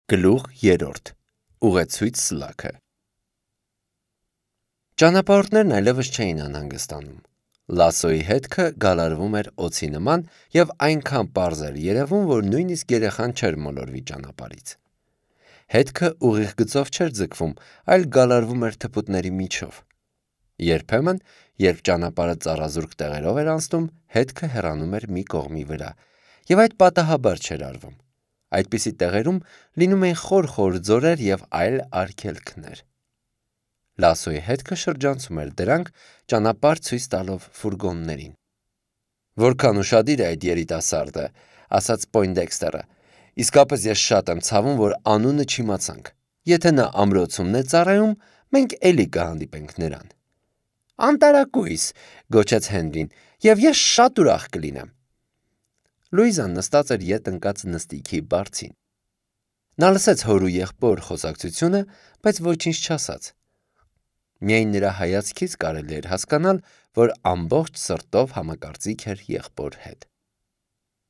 Գլուխ 3. Ուղեցույց սլաքը։ Ճանապարհորդներն այլևս չէին անհանգստանում։ Լասոյի հետքը գալարվում էր օձի նման և այնքան պարզ էր երևում, որ նույնիսկ երեխան չէր մոլորվի ճանապարհից։ Հետքը ուղիղ գծով չէր ձգվում, այլ գալարվում էր թփուտների միջով։ Երբեմն, երբ ճանապարհը ծառազուրկ տեղերով էր անցնում, հետքը հեռանում էր մի կողմի վրա, և այդ պատահաբար չէր արվում։ Այդպիսի տեղերում լինում էին խոր ձորեր և այլ արգելքներ։ Լասոյի հետքը շրջանցում էր դրանք, ճանապարհ ցույց տալով ֆուրգոններին։ «Որքան ուշադիր է այդ երիտասարդը», ասաց Պոյնդեքստերը, «իսկապես ես շատ եմ ցավում, որ անունը չիմացանք։ Եթե նա ամրոցումն է ծառայում, մենք էլի կհանդիպենք նրան»։ «Անտարակույս», գոչեց Հենրին, «և ես շատ ուրախ կլինեմ»։ Լուիզան նստած էր ետ ընկած նստիքի բարձին։ Նա լսեց հոր ու եղբոր խոսակցությունը, բայց ոչինչ չասաց։ Միայն նրա հայացքից կարելի էր հասկանալ, որ ամբողջ սրտով համակարծիք էր եղբոր հետ։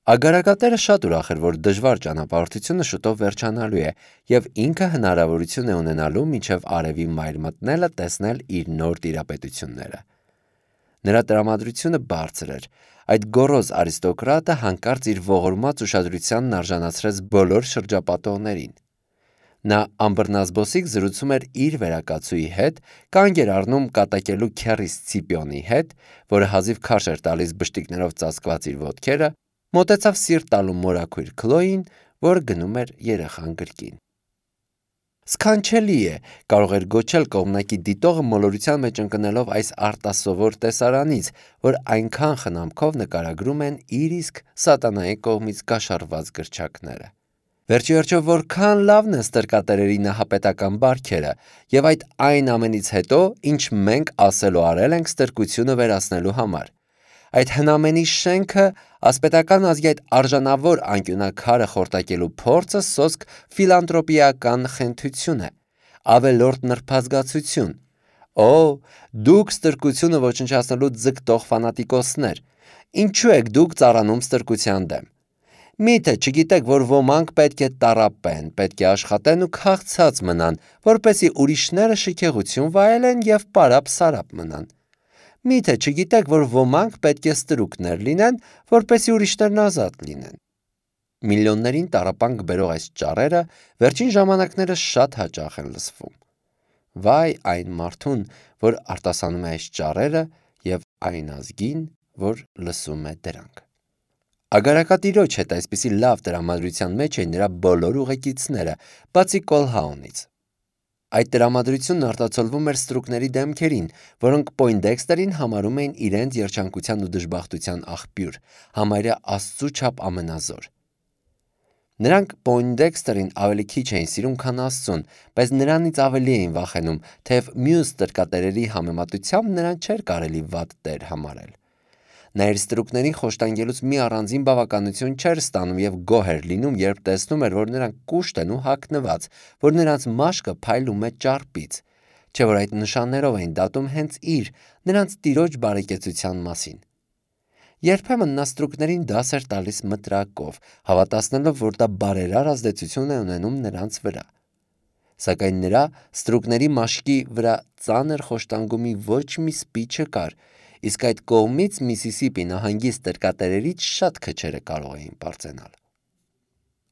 Ագարակատերը շատ ուրախ էր, որ դժվար ճանապարհորդությունը շուտով վերջանալու է, և ինքը հնարավորություն է ունենալու մինչև արևի մայր մտնելը տեսնել իր նոր տիրապետությունները։ Նրա տրամադրությունը բարձր էր։ Այդ գոռոզ արիստոկրատը հանկարծ իր ողորմած ուշադրությանն արժանացրեց բոլոր շրջապատողներին։ Նա ամբռնազբոսիկ զրուցում էր իր վերակացուի հետ, կանգ էր առնում կատակելու քեռի Սցիպիոնի հետ, որը հազիվ քարշ էր տալիս բշտիկներով ծածկված իր ոտքերը, մոտեցավ սիրտ տալու մորաքույր Քլոյին, որ գնում էր երեխան գրկին։ «Սքանչելի է», կարող էր գոչել կողմնակի դիտողը մոլորության մեջ ընկնելով այս արտասովոր տեսարանից, որ այնքան խնամքով նկարագրում են իր իսկ սատանայի կողմից կաշառված գրչակները։ Վերջիվերջո որքան լավն են ստրկատերերի նահապետական բարքերը, և այն ամենից հետո, ինչ մենք ասել ու արել ենք ստրկությունը վերացնելու համար։ Այդ հնամենի շենքը, ասպետական ազգի այդ արժանավոր անկյունաքարը խորտակելու փորձը սոսկ ֆիլանտրոպիական խենթություն է, ավելորդ նրբազգացություն։ Օ, դուք ստրկությունը ոչնչացնելու ձգտող ֆանատիկոսներ, ինչու եք դուք ծառանում ստրկության դեմ։ Միթե չգիտեք, որ ոմանք պետք է տառապեն, պետք է աշխատեն ու քաղցած մնան, որպեսզի ուրիշները շքեղություն վայելեն և պարապ-սարապ մնան։ Միթե չգիտեք, որ ոմանք պետք է ստրուկներ լինեն, որպեսզի ուրիշներն ազատ լինեն։ Միլիոններին տառապանք բերող այս ճառերը վերջին ժամանակներս շատ հաճախ են լսվում։ Վայ այն մարդուն, որ արտասանում է այս ճառերը, և այն ազգին, որ լսում է դրանք։ Ագարակատիրոջ հետ այսպիսի լավ տրամադրության մեջ էին նրա բոլոր ուղեկիցները, բացի Կոլհաունից։ Այդ տրամադրությունն արտացոլվում էր ստրուկների դեմքերին, որոնք Պոյնդեքստերին համարում էին իրենց երջանկության ու դժբախտության աղբյուր, համարյա Աստծու չափ ամենազոր։ Նրանք Պոյնդեքստերին ավելի քիչ էին սիրում, քան Աստծուն, բայց նրանից ավելի էին վախենում, թեև մյուս ստրկատերերի համեմատությամբ նրան չէր կարելի վատ տեր համարել։ Նա իր ստրուկներին խոշտանգելուց մի առանձին բավականություն չէր ստանում և գոհ էր լինում, երբ տեսնում էր, որ նրանք կուշտ են ու հագնված, որ նրանց մաշկը փայլում է ճարպից, չէ՞ որ այդ նշաններով էին դատում հենց իր, նրանց տիրոջ բարեկեցության մասին։ Երբեմն նա ստրուկներին դաս էր տալիս մտրակով, հավատացնելով, որ դա բարերար ազդեցություն է ունենում նրանց վրա։ Սակայն նրա ստրուկների մաշկի վրա ծանր խոշտանգումի ոչ մի սպի չկար, իսկ այդ կողմից Միսիսիպի նահանգի ստրկատերերից շատ քչերը կարող էին պարծենալ։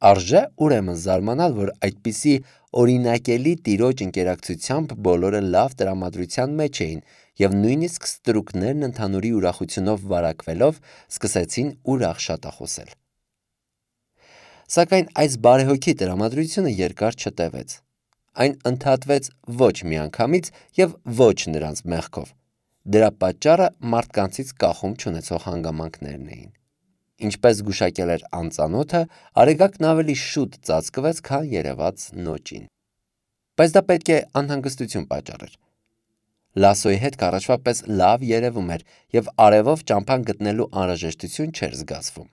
Արժե ուրեմն զարմանալ, որ այդպիսի օրինակելի տիրոջ ընկերակցությամբ բոլորը լավ տրամադրության մեջ էին, և նույնիսկ ստրուկներն ընդհանուրի ուրախությունով վարակվելով սկսեցին ուրախ շատախոսել։ Սակայն այս բարեհոգի տրամադրությունը երկար չտևեց։ Այն ընդհատվեց ոչ միանգամից և ոչ նրանց մեղքով։ Դրա պատճառը մարդկանցից կախում չունեցող հանգամանքներն էին։ Ինչպես զգուշակել էր անծանոթը, Արեգակն ավելի շուտ ծածկվեց, քան երևաց նոճին։ Բայց դա պետք է անհանգստություն պատճառեր։ Լասոյի հետք առաջվա պես լավ երևում էր, և արևով ճամփան գտնելու անհրաժեշտություն չէր զգացվում։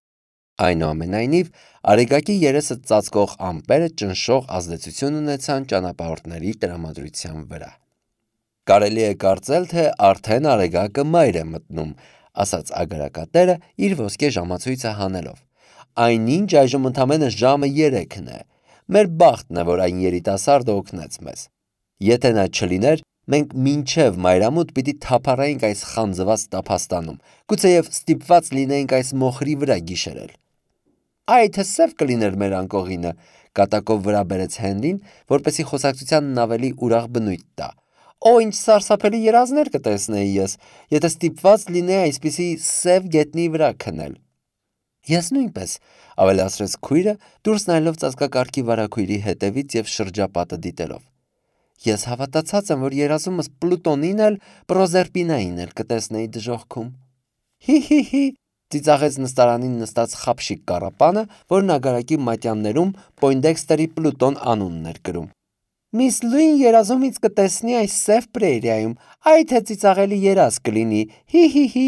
Այնուամենայնիվ, Արեգակի երեսը ծածկող ամպերը ճնշող ազդեցություն ունեցան ճանապարհորդների տրամադրության վրա։ «Կարելի է կարծել, թե արդեն Արեգակը մայր է մտնում», ասաց ագարակատերը իր ոսկե ժամացույցը հանելով։ «Այնինչ այժմ ընդամենը ժամը 3-ն է։ Մեր բախտն է, որ այն երիտասարդը օգնեց մեզ։ Եթե նա չլիներ, մենք մինչև մայրամուտ պիտի թափառայինք այս խանձված տափաստանում, գուցեև ստիպված լինեինք այս մոխրի վրա գիշերել։ Այ թե սև կլիներ մեր անկողինը, կատակով վրա բերեց Հենրին, որպեսզի խոսակցությանն ավելի ուրախ բնույթ տա։ Օ, ինչ սարսափելի երազներ կտեսնեի ես, եթե ստիպված լինեի այսպիսի սև գետնի վրա քնել։ Ես նույնպես, ավելացրեց քույրը, դուրս նայելով ծածկակարգի վարագույրի հետևից և շրջապատը դիտելով։ Ես հավատացած եմ, որ երազումս Պլուտոնին էլ, Պրոզերպինային էլ կտեսնեի դժոխքում։ Հի, ծիծաղեց նստարանին նստած խապշիկ կառապանը, որն ագարակի մատյաններում Պոյնդեքստերի Պլուտոն անունն էր գրում։ Միս Լուին երազումից կտեսնի այս սև պրերիայում, այ թե ծիծաղելի երազ կլինի, հի։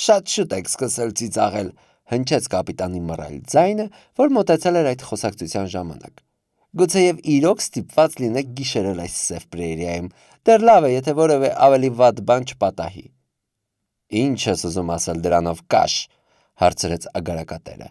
Շատ շուտ եք սկսել ծիծաղել, հնչեց կապիտանի մռայլ ձայնը, որ մոտեցել էր այդ խոսակցության ժամանակ։ Գուցեև իրոք ստիպված լինեք գիշերել այս սև պրերիայում, դեռ լավ է, եթե որևէ ավելի վատ բան չպատահի։ Ինչ ես ուզում ասել դրանով, կաշ, հարցրեց ագարակատերը։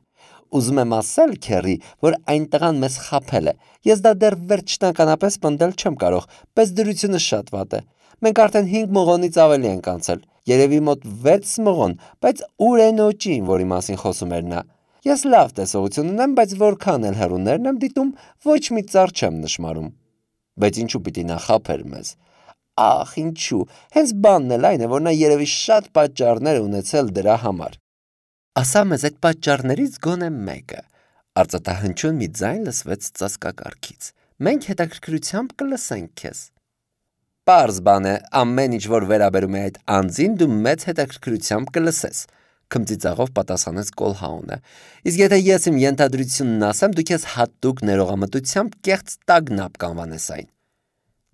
Ուզում եմ ասել, քեռի, որ այն տղան մեզ խաբել է։ Ես դա դեռ վերջնականապես պնդել չեմ կարող, պես դրությունը շատ վատ է։ Մենք արդեն 5 մղոնից ավելի ենք անցել, երևի մոտ 6 մղոն, բայց ուր է նոճին, որի մասին խոսում էր նա։ Ես լավ տեսողություն ունեմ, բայց որքան էլ հեռուներն եմ դիտում, ոչ մի ծառ չեմ նշմարում։ Բայց ինչու պիտի նա խաբեր մեզ։ Ախ, ինչու։ Հենց բանն էլ այն է, որ նա երևի շատ պատճառներ ունեցել դրա համար։ Ասա մեզ այդ պատճառներից գոնե մեկը, արծաթահնչյուն մի ձայն լսվեց ծածկակարգից։ Մենք հետաքրքրությամբ կլսենք քեզ։ Պարզ բան է, ամեն ինչ որ վերաբերում է այդ անձին, դու մեծ հետաքրքրությամբ կլսես, քմծիծաղով պատասխանեց Կոլհաունը։ Իսկ եթե ես իմ ենթադրությունն ասեմ, դու քեզ հատուկ ներողամտությամբ կեղծ տագնապ կանվանես այն։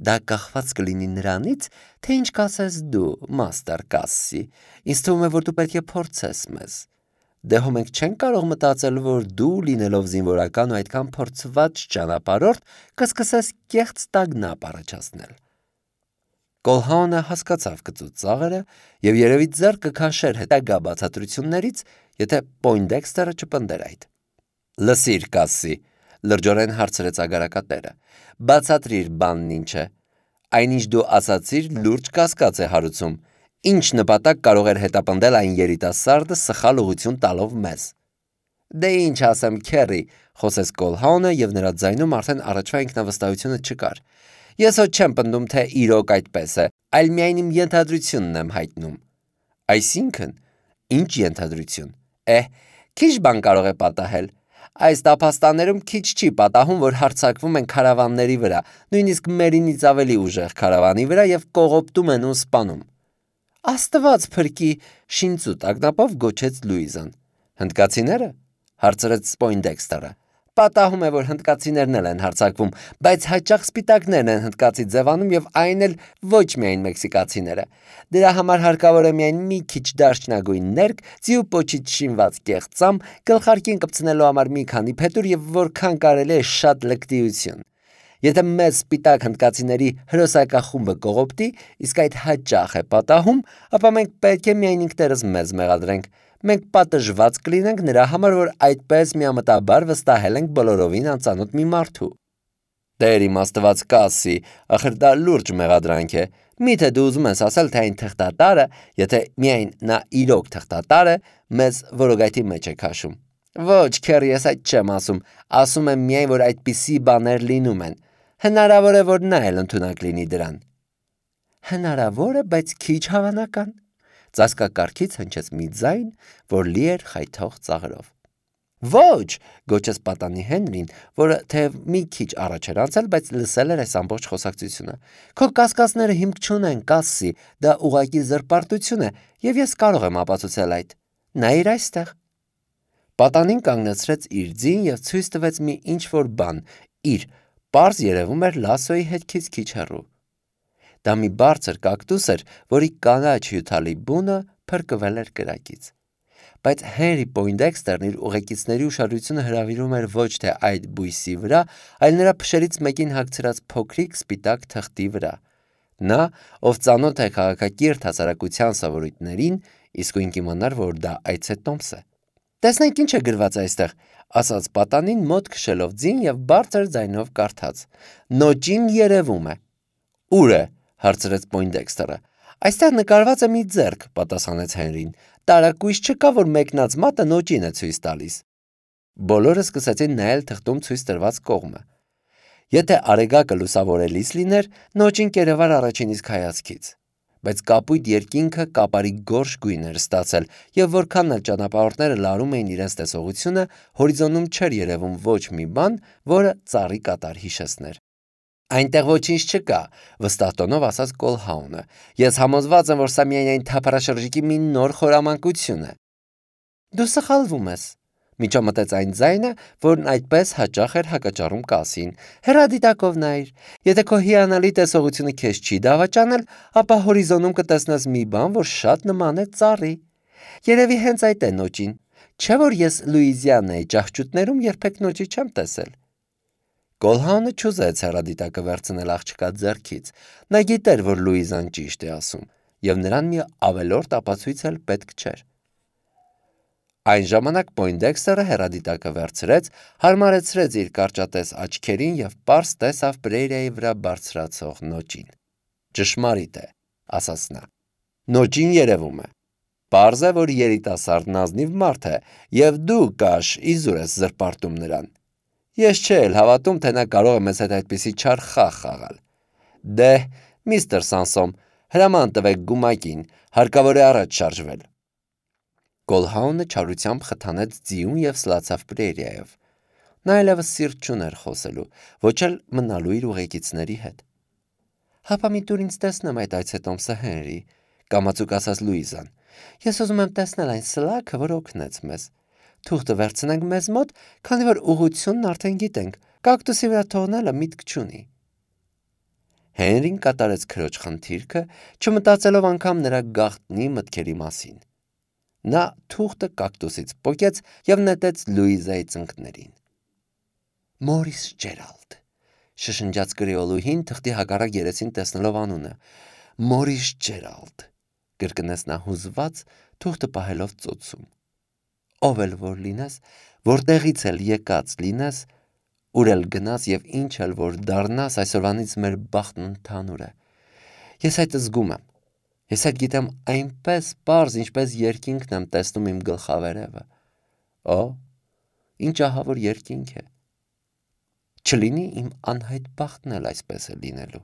Դա կախված կլինի նրանից, թե ինչ կասես դու, մաստեր Կասսի։ Ինձ թվում է, որ դու պետք է փորձես մեզ։ Դե հո մենք չենք կարող մտածել, որ դու, լինելով զինվորական ու այդքան փորձված ճանապարհորդ, կսկսես կեղծ տագնապ առաջացնել։ Կոլհաունը հասկացավ կծուծ ծաղերը եւ երևի ձեռ կքաշեր հետագա բացատրություններից, եթե Պոյնդեքստերը չպնդեր այդ։ Լսիր, Կասսի, լրջորեն հարցրեց ագարակատերը, բացատրիր բանն ինչ է։ Այնինչ դու ասացիր, լուրջ կասկած է հարուցում։ Ինչ նպատակ կարող էր հետապնդել այն երիտասարդը սխալ ուղղություն տալով մեզ։ Դե ինչ ասեմ, քեռի, խոսեց Կոլհաունը եւ նրա ձայնում արդեն առաջվա ինքնավստահությունը չկար։ Ես հո չեմ պնդում, թե իրոք այդպես է, այլ միայն իմ ենթադրությունն եմ հայտնում։ Այսինքն, ինչ ենթադրություն։ Քիչ բան կարող է պատահել։ Այս տափաստաններում քիչ չի պատահում, որ հարձակվում են քարավանների վրա, նույնիսկ մերինից ավելի ուժեղ քարավանի վրա եւ կողոպտում են ու սպանում։ Աստված փրկի, շինծու տագնապով գոչեց Լուիզան։ Հնդկացիները, հարցրեց Պոյնդեքստերը։ Պատահում է, որ հնդկացիներն էլ են հարձակվում, բայց հաճախ սպիտակներն են հնդկացի ձևանում եւ այն էլ ոչ միայն մեքսիկացիները։ Դրա համար հարկավոր է միայն մի քիչ դարչնագույն ներք, ձիու պոչից շինված կեղծամ, գլխարկին կպցնելու համար մի քանի փետուր եւ որքան կարելի է շատ լկտիություն։ Եթե մեզ սպիտակ հնդկացիների հրոսակախումբը կողոպտի, իսկ այդ հաճախ է պատահում, ապա մենք պետք է միայն ինքներս մեզ մեղադրենք։ Մենք պատժված կլինենք նրա համար, որ այդպես միամտաբար վստահել ենք բոլորովին անծանոթ մի մարդու։ Տեր իմ Աստված Կասսի, ախր դա լուրջ մեղադրանք է։ Միթե դու ուզում ես ասել, թե այն թղթատարը, եթե միայն նա իրոք թղթատար է, մեզ որոգայթի մեջ է քաշում։ Ոչ, քեռի, ես այդ չեմ ասում։ Ասում եմ միայն, որ այդպիսի բաներ լինում են։ Հնարավոր է, որ նա էլ ընդունակ լինի դրան։ Հնարավոր է, բայց քիչ հավանական։ Ծածկակարգից հնչեց մի ձայն, որ լի էր խայթող ծաղրով։ Ոչ, գոչեց պատանի Հենրին, որը թեև մի քիչ առաջ էր անցել, բայց լսել էր այս ամբողջ խոսակցությունը։ Քո կասկածները հիմք չունեն, Կասսի, դա ուղղակի զրպարտություն է, եւ ես կարող եմ ապացուցել այդ։ Նայիր այստեղ։ Պատանին կանգնեցրեց իր ձին եւ ցույց տվեց մի ինչ-որ բան, իր պարզ երևում էր Լասոյի հետքից քիչ հեռու։ Դա մի բարձր կակտուս էր, որի կանաչ հյութալի բունը փրկվել էր կրակից։ Բայց Հենրի Պոյնդեքստերն իր ուղեկիցների ուշադրությունը հրավիրում էր ոչ թե այդ բույսի վրա, այլ նրա փշերից մեկին հագցրած փոքրիկ սպիտակ թղթի վրա։ Նա, ով ծանոթ է քաղաքակիրթ հասարակության սովորույթներին, իսկույն կիմանար, որ դա այցե տոմս է։ Տեսնենք ինչ է գրված այստեղ, ասաց պատանին մոտ քշելով ձին եւ բարձր ձայնով կարդաց. Նոճին երևում է։ Ուր է, հարցրեց Պոյնդեքսթերը։ Այստեղ նկարված է մի ձեռք, պատասխանեց Հենրին։ Տարակույս չկա, որ մեկնած մատը նոճին է ցույց տալիս։ Բոլորը սկսեցին նայել թղթում ցույց տրված կողմը։ Եթե արեգակը լուսավորելիս լիներ, նոճին կերևար առաջին իսկ հայացքից։ Բայց կապույտ երկինքը կապարի գորշ գույն էր ստացել, եւ որքան էլ ճանապարհորդները լարում էին իրենց տեսողությունը, հորիզոնում չէր երևում ոչ մի բան, որը ծառի կատար հիշեցներ։ Այնտեղ ոչինչ չկա, վստահ տոնով ասաց Կոլհաունը։ Ես համոզված եմ, որ սա միայն այն թափառաշրջիկի մի նոր խորամանկություն է։ Դու սխալվում ես, միջամտեց այն ձայնը, որն այդպես հաճախ էր հակաճառում կասին։ Հեռադիտակով նայր։ Եթե քո հիանալի տեսողությունը քեզ չի դավաճանել, ապա հորիզոնում կտեսնես մի բան, որ շատ նման է ծառի։ Երևի հենց այդ է նոճին։ Չէ՞ որ ես Լուիզիանայի ճահճուտներում երբեք նոճի չեմ տեսել։ Կոլհաունը չուզեց հեռադիտակը վերցնել աղջկա ձեռքից։ Նա գիտեր, որ Լուիզան ճիշտ է ասում, եւ նրան մի ավելորդ ապացույց էլ պետք չէր։ Այն ժամանակ Պոյնդեքսթերը հեռադիտակը վերցրեց, հարմարեցրեց իր կարճատես աչքերին եւ պարզ տեսավ Պրեյրիայի վրա բարձրացող նոճին։ Ճշմարիտ է, ասաց նա։ Նոճին երևում է։ Պարզ է, որ երիտասարդն ազնիվ մարդ է, եւ դու կաշ իզուր ես զրպարտում նրան։ Ես չէ էլ հավատում, թե նա կարող է մեզ հետ այդպիսի չար խաղ խաղալ։ Դե, միստր Սանսոմ, հրաման տվեք գումակին, հարկավոր է առաջ շարժվել։ Կոլհաունը չարությամբ խթանեց ձիուն եւ սլացավ Պրեյրիայով։ Նա այլևս սիրտ չուներ խոսելու, ոչ էլ մնալու իր ուղեկիցների հետ։ Հապա մի տուր ինձ տեսնեմ այդ այցետոմսը Հենրի, կամացուկ ասաց Լուիզան։ Ես ուզում եմ տեսնել այն սլաքը, որ օգնեց մեզ։ Թուղթը վերցնենք մեզ մոտ, քանի որ ուղղությունն արդեն գիտենք, կակտուսի վրա թողնելը միտք չունի։ Հենրին կատարեց քրոջ խնդիրքը, չմտածելով անգամ նրա գաղտնի մտքերի մասին։ Նա թուղթը կակտուսից պոկեց եւ նետեց Լուիզայի ծնկներին։ Մորիս Ջերալդ, շշնջաց կրեոլուհին թղթի հակառակ երեսին տեսնելով անունը։ Մորիս Ջերալդ, կրկնեց նա հուզված, թուղթը պահելով ծոցում։ Ով էլ որ լինես, որտեղից էլ եկած լինես, ուր էլ գնաս եւ ինչ էլ որ դառնաս, այսօրվանից մեր բախտն ընդհանուր է։ Ես այդ զգում եմ։ Ես այդ գիտեմ այնպես պարզ, ինչպես երկինքն եմ տեսնում իմ գլխավերևը։ Օ, ինչ ահավոր երկինք է։ Չլինի իմ անհայտ բախտն էլ այսպես է լինելու։